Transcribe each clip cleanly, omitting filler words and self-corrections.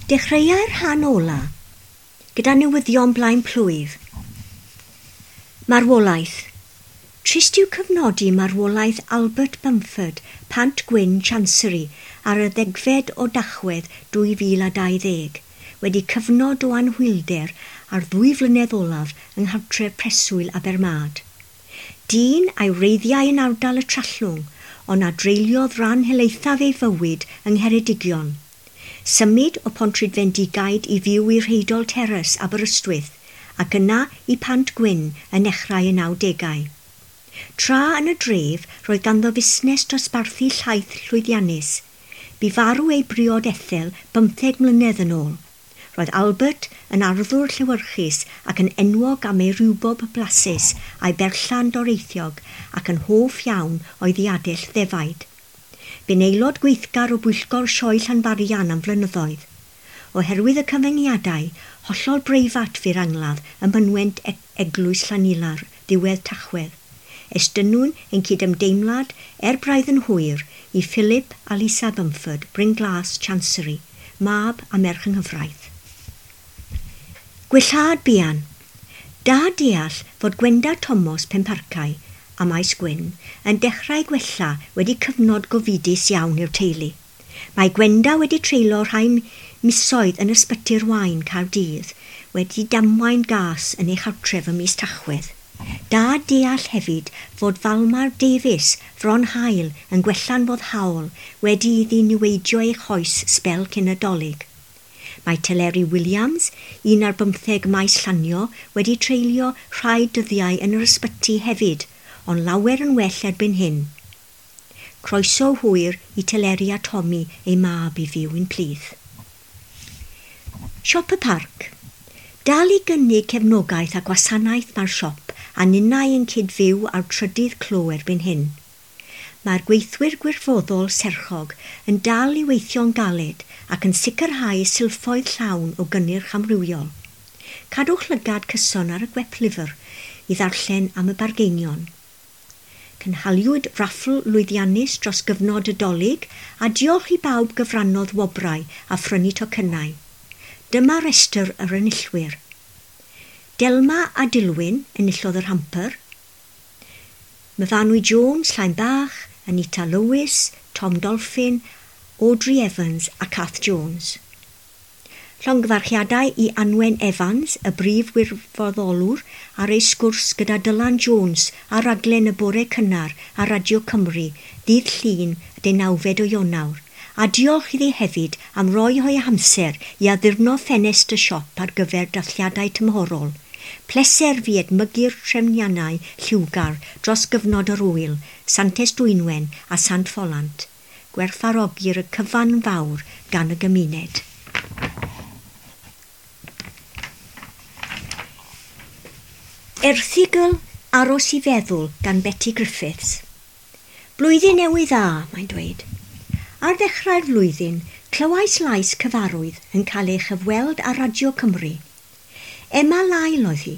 Dechreuai'r rhan ola gyda newyddion blaen plwyf. Marwolaeth. Trist yw cyfnodi marwolaeth Albert Bumford, Pant Gwyn, Chancery, ar y 10fed o Dachwedd 2020, wedi cyfnod o anhwylder ar 2 flynedd olaf yng nghartref preswyl Abermad. Dyn a'i wreiddiau yn ardal y Trallwng, ond a dreuliodd ran helaethaf ei fywyd yng Ngheredigion. Symud o Pontrhydfendigaid i fyw i Rheidol Terrace, Aberystwyth, ac yna i Pant Gwyn yn nechrau y 90au. Tra yn y dref, roedd ganddo fusnes dosbarthu llaeth llwyddiannus. Bu farw ei briod Ethel 15 mlynedd yn ôl. Roedd Albert yn arddwr llewyrchus ac yn enwog am ei rwbob blasus a'i berllan doreithiog ac yn hoff iawn o'i ddiadell ddefaid. Bu'n aelod gweithgar o bwyllgor Sioe Llanfarian am flynyddoedd. Oherwydd y cyfyngiadau, hollol breifat fu'r angladd ym mynwent Eglwys Llanilar, ddiwedd Tachwedd. Estynnwn ein cydymdeimlad er braidd yn hwyr i Philip a Lisa Bumford, Bryn Glas, Chancery, mab a merch yng nghyfraith. Gwellhad buan. Da deall fod Gwenda Thomas Penparcau a Maes Gwyn yn dechrau gwella wedi cyfnod gofidus iawn i'r teulu. Mae Gwenda wedi treulio rhai misoedd yn ysbyty'r Waun Caerdydd wedi damwain gas yn ei chartref ym mis Tachwedd. Da deall hefyd fod Falmar Davies, Fron Haul, yn gwella'n foddhaol wedi iddi niweidio ei choes sbel cyn y Dolig. Mae Teleri Williams, 15 Maes Llanio, wedi treulio rhai dyddiau yn yr ysbyty hefyd, ond lawer yn well erbyn hyn. Croeso hwyr i Teleri a Tommy ei mab i fyw'n plith. Siop y Parc. Dal i gynnig cefnogaeth a gwasanaeth mae'r siop a ninnau yn cydfyw ar trydydd clo erbyn hyn. Mae'r gweithwyr gwirfoddol serchog yn dal i weithio'n galed ac yn sicrhau silffoedd llawn o gynnyrch amrywiol. Cadwch lygad cyson ar y gweplyfr i ddarllen am y bargeinion. Cynhaliwyd raffl lwyddiannus dros gyfnod y Dolig a diolch i bawb gyfrannodd wobrau a phrynu tocynnau. Dyma restr yr enillwyr. Delma a Dilwyn enillodd yr hamper. Myfanwy Jones, Llain Bach, Anita Lewis, Tom Dolphin, Audrey Evans a Kath Jones. Llongyfarchiadau i Anwen Evans, y brif wirfoddolwr, ar ei sgwrs gyda Dylan Jones ar raglen y bore cynnar ar Radio Cymru, ddydd Llun, y 19 o Ionawr, a diolch iddi hefyd am roi o'i hamser i addurno ffenest y siop ar gyfer dathliadau tymhorol. Pleser fi edmygu'r trefniannau lliwgar dros gyfnod yr ŵyl, Santes Dwynwen a Sant Ffolant. Gwerthfawrogir y cyfan fawr gan y gymuned. Erthygl Aros i Feddwl gan Betty Griffiths. Blwyddyn newydd dda, mae'n dweud. Ar ddechrau'r flwyddyn, clywais lais cyfarwydd yn cael ei chyfweld ar Radio Cymru. Emma Lyle oedd hi,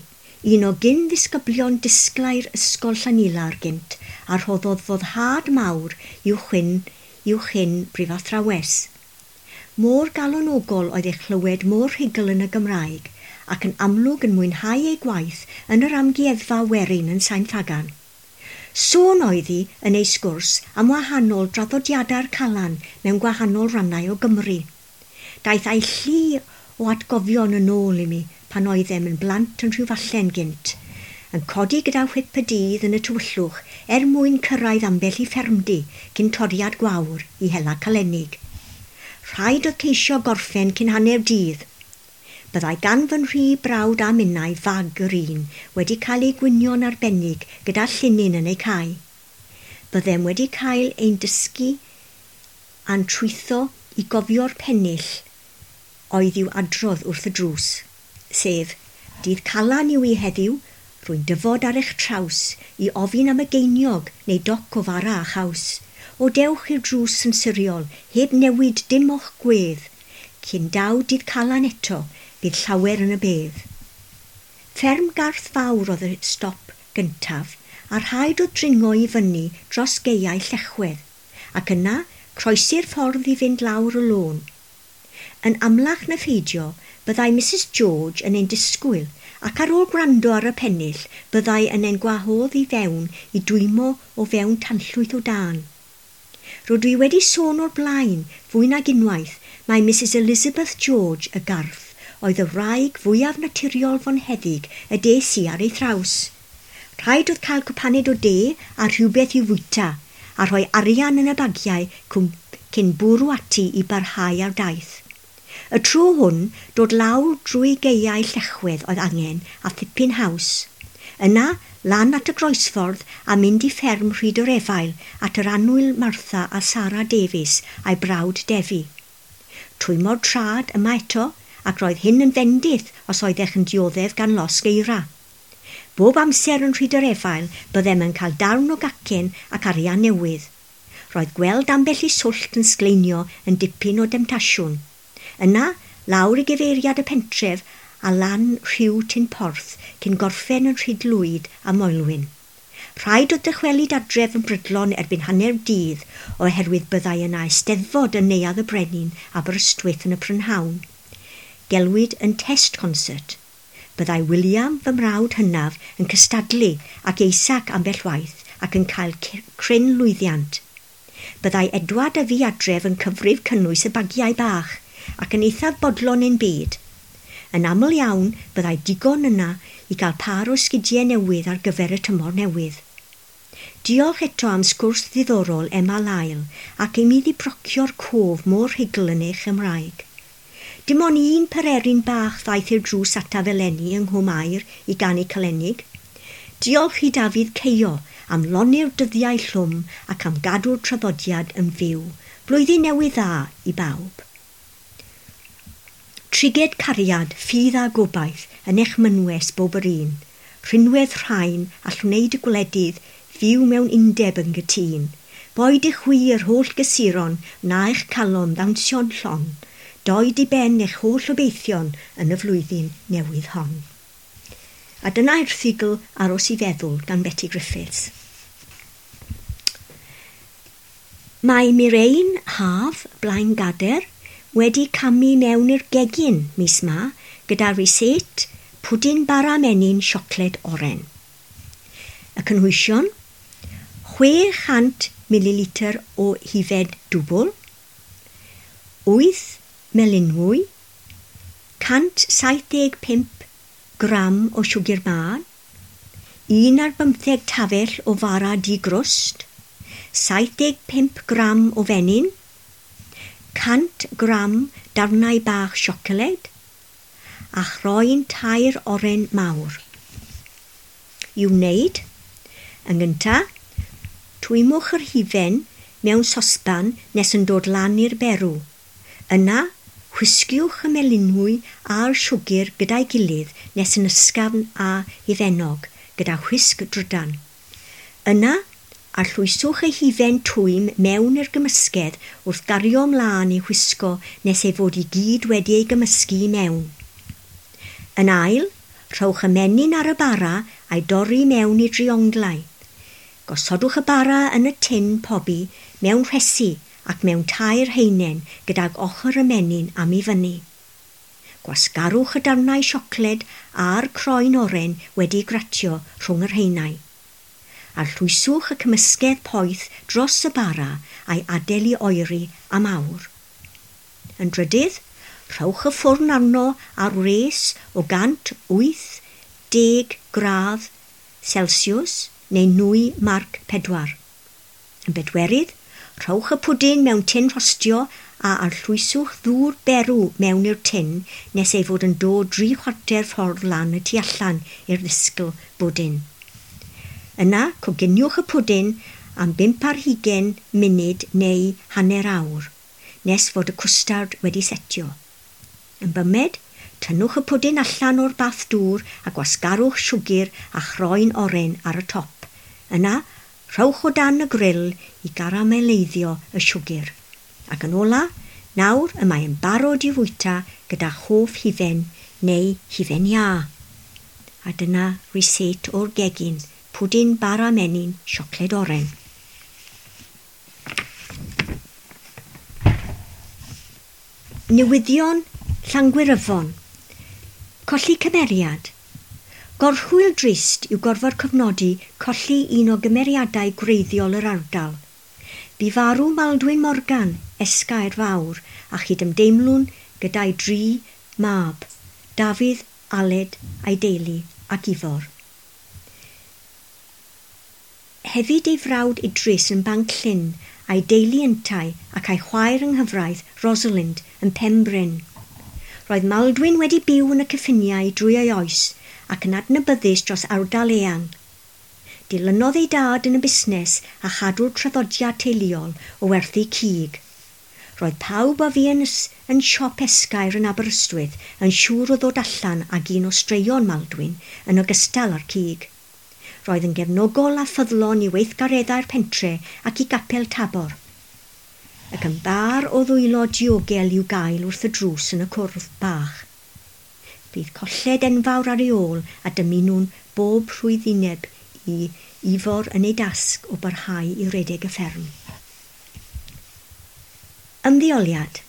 un o gyn ddisgyblion disglair Ysgol Llanilar gynt, a rhoddodd foddhad mawr i'w chyn brifathrawes. Mor galonogol oedd ei chlywed mor rhugl yn y Gymraeg ac yn amlwg yn mwynhau ei gwaith yn yr amgueddfa werin yn Sain Ffagan. Sôn oedd hi yn ei sgwrs am wahanol draddodiadau'r Calan mewn gwahanol rannau o Gymru. Daeth a'i llu o atgofion yn ôl i mi pan oeddem yn blant yn Rhiwfallen gynt, yn codi gyda whip y dydd yn y tywyllwch er mwyn cyrraedd ambell i ffermdy cyn toriad gwawr i hela calenig. Rhaid oedd ceisio gorffen cyn hanner dydd. Byddai gan fy nhri brawd a minnau fag yr un wedi cael ei gwynio'n arbennig gyda llinyn yn ei cae. Byddem wedi cael ein dysgu a'n trwytho i gofio'r pennill oedd i'w adrodd wrth y drws, sef dydd Calan yw i heddiw, rwy'n dyfod ar eich traws i ofyn am y geiniog neu doc o fara a chaws. O dewch i'r drws yn siriol, heb newid dim o'ch gwedd. Cyn daw dydd Calan eto, bydd llawer yn y bedd. Fferm Garth Fawr oedd y stop gyntaf, a rhaid oedd dringo i fyny dros gaeau Llechwedd, ac yna croesi'r ffordd i fynd lawr y lôn. Yn amlach na pheidio, byddai Mrs George yn ein disgwyl ac ar ôl gwrando ar y pennill, byddai yn ein gwahodd i fewn i dwymo o fewn tanllwyth o dân. Rydw i wedi sôn o'r blaen, fwy nag unwaith, mae Mrs Elizabeth George y Garth oedd y wraig fwyaf naturiol fonheddig y des i ar ei thraws. Rhaid oedd cael cwpaned o de a rhywbeth i'w fwyta, a rhoi arian yn y bagiau cyn bwrw ati i barhau ar daith. Y tro hwn, dod lawr drwy gaeau Llechwedd oedd angen a thipyn haws. Yna, lan at y groesffordd a mynd i fferm Rhyd yr Efail at yr annwyl Martha a Sara Davies a'i brawd Defi. Twymo'r trad yma eto, ac roedd hyn yn fendith os oeddech yn dioddef gan losg eira. Bob amser yn Rhyd yr Efail, byddem yn cael darn o gacen ac arian newydd. Roedd gweld ambell i swllt yn sgleinio yn dipyn o demtasiwn. Yna, lawr i gyfeiriad y pentref a lan rhiw Tyn Porth cyn gorffen yn Rhyd Lwyd a Moelwyn. Rhaid oedd dychwelyd adref yn brydlon erbyn hanner dydd oherwydd byddai yna eisteddfod yn Neuadd y Brenin Aberystwyth yn y prynhawn. Gelwid yn test concert. Byddai William, fy mrawd hynaf, yn cystadlu ac Isaac ambell waith ac yn cael cryn lwyddiant. Byddai Edward a fi adref yn cyfrif cynnwys y bagiau bach ac yn eithaf bodlon ein byd. Yn aml iawn, byddai digon yna i gael pâr o sgidiau newydd ar gyfer y tymor newydd. Diolch eto am sgwrs ddiddorol Emma Lyle ac i mi ddibrocio'r cof mor rhugl yn ei Chymraeg. Dim ond un pererin bach ddaeth i'r drws ataf eleni yng Nghwm Aur i ganu Calennig. Diolch i Dafydd Ceio am lonni'r dyddiau llwm ac am gadw'r traddodiad yn fyw. Blwyddyn newydd dda i bawb. Triged cariad, ffydd a gobaith yn eich mynwes bob yr un. Rhinwedd rhain all wneud y gwledydd fyw mewn undeb yn gytûn. Boed i chwi yr holl gysuron wna eich calon ddawnsio'n llon. Doed i ben eich holl obeithion yn y flwyddyn newydd hon. A dyna erthygl Aros i Feddwl gan Betty Griffiths. Mae Mirain Haf Blaengader wedi camu mewn i'r gegin mis ma gyda rysáit pwdin bara menyn siocled oren. Y cynhwysion: 600 ml o hufen dwbl, 8 melynwy, 175 gram o siwgr mân, 11 tafell o fara di-grwst, 75 gram o fenyn, 100 gram darnau bach siocled, a chroen 3 oren mawr. I'w wneud, yn gyntaf, twymwch yr hufen mewn sosban nes yn dod lan i'r berw. Yna, whisgiwch y melynwy a'r siwgr gyda'i gilydd nes yn ysgafn a hufennog gyda whisg drydan. Yna, arllwyswch y hufen twym mewn i'r gymysgedd wrth gario ymlaen i whisgo nes ei fod i gyd wedi ei gymysgu i mewn. Yn ail, rhowch y menyn ar y bara a'i dorri mewn i drionglau. Gosodwch y bara yn y tin pobi mewn rhesi ac mewn 3 haenen gydag ochr y menyn am i fyny. Gwasgarwch y darnau siocled a'r croen oren wedi gratio rhwng yr haenau. Arllwyswch y cymysgedd poeth dros y bara a'i adael i oeri am awr. Yn drydydd, rhowch y ffwrn arno ar wres o 180 gradd Celsius neu 9 marc 4. Yn bedwerydd, rhowch y pwdin mewn tin rhostio a arllwyswch ddŵr berw mewn i'r tin nes ei fod yn dod 3/4 ffordd lan y tu allan i'r ddisgl bwdin. Yna, coginiwch y pwdin am 25 munud neu hanner awr, nes fod y cwstard wedi setio. Yn bymed, tynnwch y pwdin allan o'r bath dŵr a gwasgarwch siwgr a chroen oren ar y top. Yna, rhowch o dan y grill i garameleiddio y siwgr. Ac yn ola, nawr y mae yn barod i fwyta gyda hoff hufen neu hufen iâ. A dyna rysáit o'r gegin, pwdin bara menyn siocled oren. Newyddion Llangwyryfon. Colli cymeriad. Gorchwyl drist yw gorfod cofnodi colli un o gymeriadau gwreiddiol yr ardal. Bu farw Maldwyn Morgan, Esgair Fawr, a chydymdeimlwn gyda'i dri mab, Dafydd, Aled a'i deulu ac Ifor. Hefyd ei frawd Idris yn Banc Llyn a'i deulu yntau ac a'i chwaer yng nghyfraith, Rosalind, yn Penbryn. Roedd Maldwyn wedi byw yn y cyffiniau drwy ei oes ac yn adnabyddus dros ardal eang. Dilynodd ei dad yn y busnes a chadw'r traddodiad teuluol o werthu cig. Roedd pawb a fu yn, yn siop Esgair yn Aberystwyth yn siŵr o ddod allan ag un o straeon Maldwyn yn ogystal â'r cig. Roedd yn gefnogol a ffyddlon i weithgareddau'r pentre ac i gapel Tabor. Ac yn bar o ddwylo diogel i'w gael wrth y drws yn y cwrdd bach. Bydd colled enfawr ar ei ôl a dymunwn bob rhwyddineb i Ifor yn ei dasg o barhau i redeg y fferm. Ymddeoliad.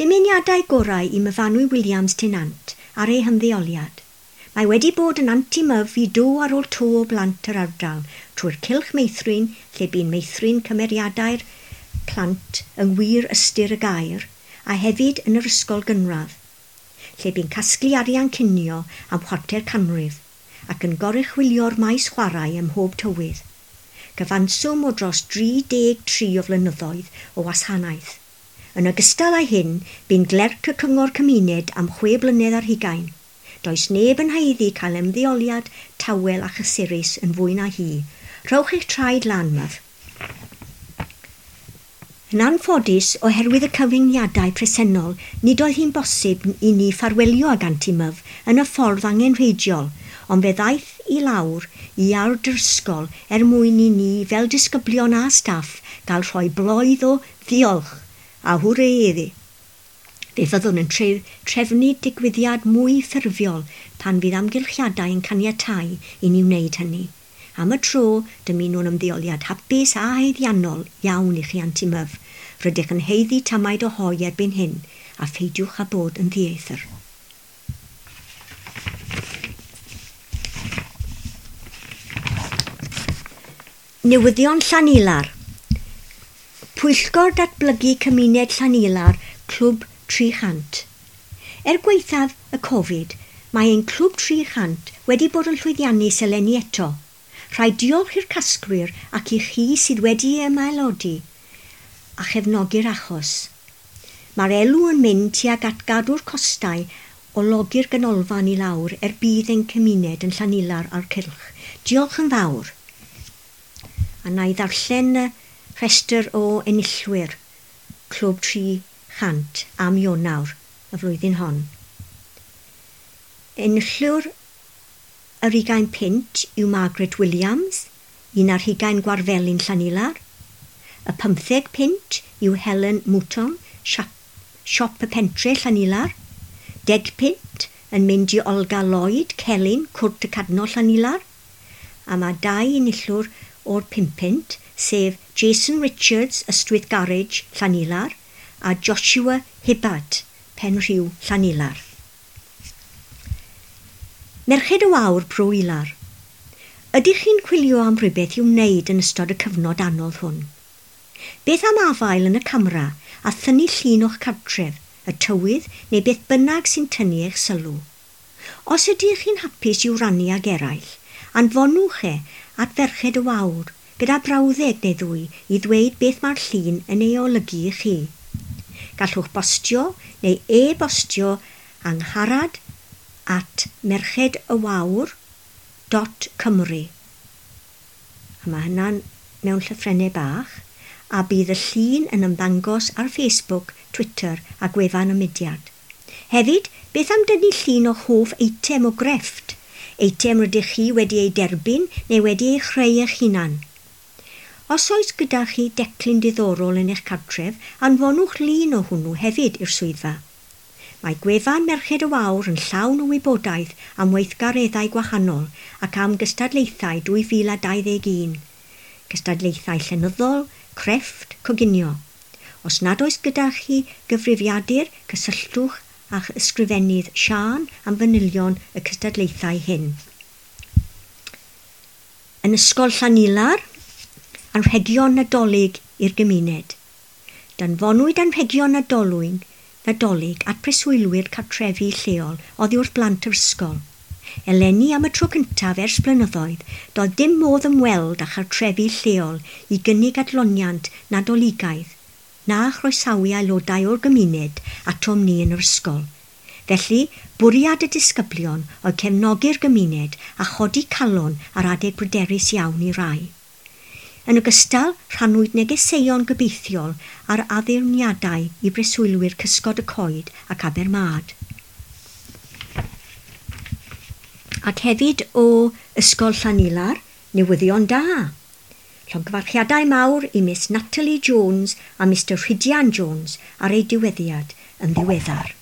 Dymuniadau gorau i Myfanwy Williams Tenant ar ei hymddeoliad. Mae wedi bod yn anti-myf i do ar ôl to o blant yr ardal trwy'r cylch meithrin lle bu'n meithrin cymeriadau'r plant yng ngwir ystyr y gair a hefyd yn yr ysgol gynradd, lle bu'n casglu arian cinio am chwarter canrif ac yn goruchwylio'r maes chwarae ym mhob tywydd. Cyfanswm o dros 33 o flynyddoedd o wasanaeth. Yn ogystal â hyn, bu'n glerc y Cyngor Cymuned am 6 blynedd ar hugain. Does neb yn haeddu cael ymddeoliad tawel a chysurus yn fwy na hi. Rhowch eich traed lan, myf. Yn anffodus, oherwydd y cyfyngiadau presennol, nid oedd hi'n bosib i ni ffarwelio ag Anti Myf yn y ffordd angenrheidiol, ond fe ddaeth i lawr i iard yr ysgol er mwyn i ni fel disgyblion a staff gael rhoi bloedd o ddiolch a hwrê iddi. Fe fyddwn yn trefnu digwyddiad mwy ffurfiol pan fydd amgylchiadau yn caniatáu i ni wneud hynny. Am y tro, dymunwn ymddeoliad hapus a haeddiannol iawn i chi Anti Myf. Rydych yn haeddu tamaid o hoe erbyn hyn, a pheidiwch â bod yn ddieithr. Newyddion Llanilar. Pwyllgor Datblygu Cymuned Llanilar, Clwb 300. Er gwaethaf y Covid, mae ein Clwb 300 wedi bod yn llwyddiannus eleni eto. Rhaid diolch i'r casglwyr ac i chi sydd wedi ymaelodi a chefnogi'r achos. Mae'r elw yn mynd tuag at gadw'r costau o logi'r ganolfan i lawr er budd ein cymuned yn Llanilar a'r cylch. Diolch yn fawr. A na i ddarllen y rhestr o enillwyr Clwb 300 am Ionawr y flwyddyn hon. Enillwr yr 20 punt yw Margaret Williams, 21 Gwarfelin Llanilar. Y 15 punt yw Helen Mouton, Siop y Pentre Llanilar. 10 punt yn mynd i Olga Lloyd, Celyn, Cwrt y Cadno Llanilar. A mae dau enillwr o'r 5 punt, sef Jason Richards, Ystwyth Garage, Llanilar, a Joshua Hibbard, Penrhiw, Llanilar. Merched y Wawr, Bro Ilar. Ydych chi'n chwilio am rhywbeth i'w wneud yn ystod y cyfnod anodd hwn? Beth am afael yn y camera a thynnu llun o'ch cartref, y tywydd neu beth bynnag sy'n tynnu eich sylw? Os ydych chi'n hapus i'w rannu ag eraill, anfonwch e at Ferched y Wawr gyda brawddeg neu ddwy i ddweud beth mae'r llun yn ei olygu i chi. Gallwch bostio neu e-bostio angharad at merchedywawr.cymru. A mae hynna'n mewn llythrennau bach, a bydd y llun yn ymddangos ar Facebook, Twitter a gwefan y mudiad. Hefyd, beth am dynnu llun o'ch hoff eitem o grefft? Eitem rydych chi wedi ei derbyn neu wedi ei chreu eich hunan. Os oes gyda chi declyn diddorol yn eich cartref, anfonwch lun o hwnnw hefyd i'r swyddfa. Mae gwefan Merched y Wawr yn llawn o wybodaeth am weithgareddau gwahanol ac am gystadlaethau 2021. Cystadlaethau llenyddol, crefft, coginio. Os nad oes gyda chi gyfrifiadur, cysylltwch â'ch ysgrifennydd Siân am fanylion y cystadlaethau hyn. Yn Ysgol Llanilar, anrhegion Nadolig i'r gymuned. Danfonwyd anrhegion Nadolig at breswylwyr cartrefi lleol oddi wrth blant yr ysgol. Eleni am y tro cyntaf ers blynyddoedd, doedd dim modd ymweld â chartrefi lleol i gynnig adloniant Nadoligaidd na chroesawu aelodau o'r gymuned atom ni yn yr ysgol. Felly, bwriad y disgyblion oedd cefnogi'r gymuned a chodi calon ar adeg bryderus iawn i rai. Yn ogystal, rhannwyd negeseuon gobeithiol ar addurniadau i breswylwyr Cysgod y Coed ac Abermad. Ac hefyd o Ysgol Llanilar, newyddion da. Llongyfarchiadau mawr i Miss Natalie Jones a Mr Rhydian Jones ar eu diweddiad yn ddiweddar.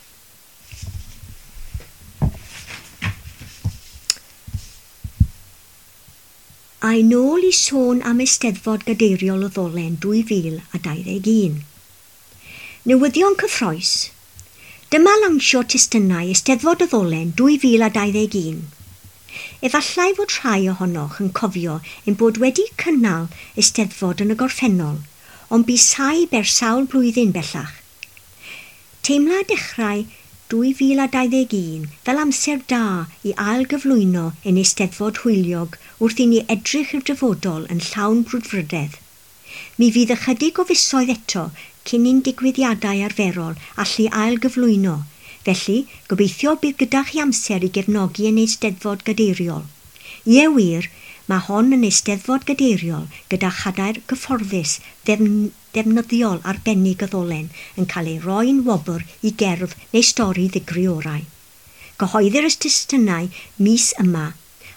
A'i nôl i sôn am Eisteddfod Gadeiriol y Ddolen 2021. Newyddion cyffrous. Dyma lawnsio testunau Eisteddfod y Ddolen 2021. Efallai fod rhai ohonoch yn cofio ein bod wedi cynnal Eisteddfod yn y gorffennol, ond bu saib ers sawl blwyddyn bellach. Teimla dechrau 2021 fel amser da i ailgyflwyno ein Eisteddfod hwyliog wrth i ni edrych i'r dyfodol yn llawn brwdfrydedd. Mi fydd ychydig o fisoedd eto cyn i'n digwyddiadau arferol allu ailgyflwyno, felly gobeithio bydd gyda chi amser i gefnogi ein Eisteddfod Gadeiriol. Ie wir, mae hon yn Eisteddfod Gadeiriol gyda chadair gyfforddus ddefnyddiol arbennig y Ddolen yn cael ei roi'n wobr i gerdd neu stori ddigri orau. Cyhoeddir y testunau mis yma,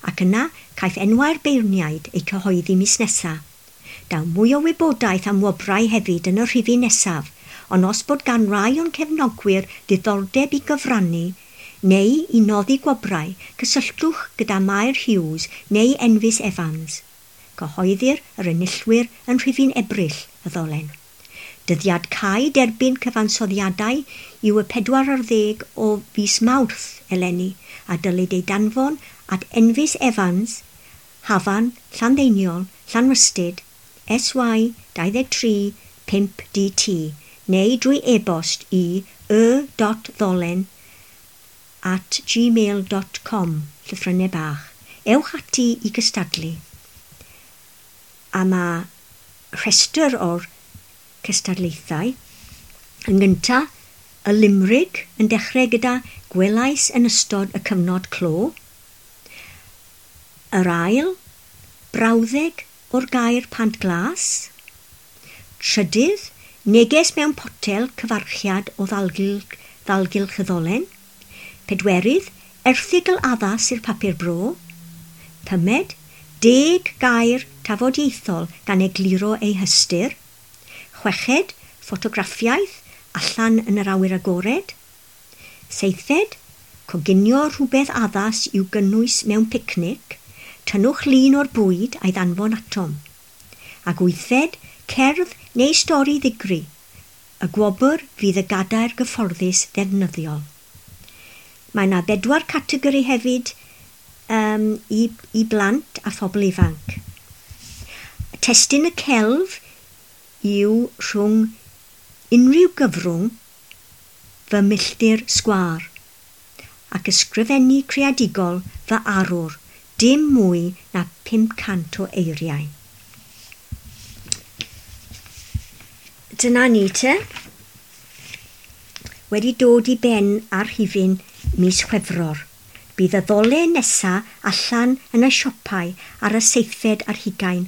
ac yna caiff enwau'r beirniaid eu cyhoeddi mis nesaf. Daw mwy o wybodaeth am wobrau hefyd yn y rhifyn nesaf, ond os bod gan rai o'n cefnogwyr ddiddordeb i gyfrannu neu i noddi gwobrau, cysylltwch gyda Mair Hughes neu Enfys Evans. Cyhoeddir yr enillwyr yn rhifyn Ebrill y Ddolen. Dyddiad cau derbyn cyfansoddiadau yw y 40 o fis Mawrth eleni a dylid ei danfon at Enfys Evans, Hafan, Llanddeiniol, Llanrhystud, SY 23 5DT neu drwy e-bost i y.ddolen@gmail.com llythrennau bach. Ewch ati i gystadlu. A mae rhestr o'r cystadlaethau. Yn gynta, y limrig yn dechrau gyda gwelais yn ystod y cyfnod clo. Yr ail, brawddeg o'r gair Pant Glas. Trydydd, neges mewn potel cyfarchiad o ddalgylch y Ddolen. Pedwerydd, erthygl addas i'r papur bro. Pumed, 10 gair tafodieithol gan egluro ei hystyr. Chweched, ffotograffiaeth allan yn yr awyr agored. Seithfed, coginio rhywbeth addas i'w gynnwys mewn picnic. Tynnwch lun o'r bwyd a'i ddanfon atom. Ac wythfed, cerdd neu stori ddigri. Y gwobr fydd y gadair gyfforddus ddefnyddiol. Mae yna 4 categori hefyd i blant a phobl ifanc. Testun y celf yw rhwng unrhyw gyfrwng fy milltir sgwâr ac ysgrifennu creadigol fy arwr, dim mwy na 500 o eiriau. Dyna ni te. Wedi dod i ben ar rhifyn mis Chwefror. Bydd y Ddolen nesa allan yn y siopau ar y 27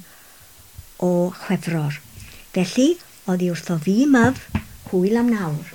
o Chwefror. Felly, oddi wrtho fi myf, hwyl am nawr.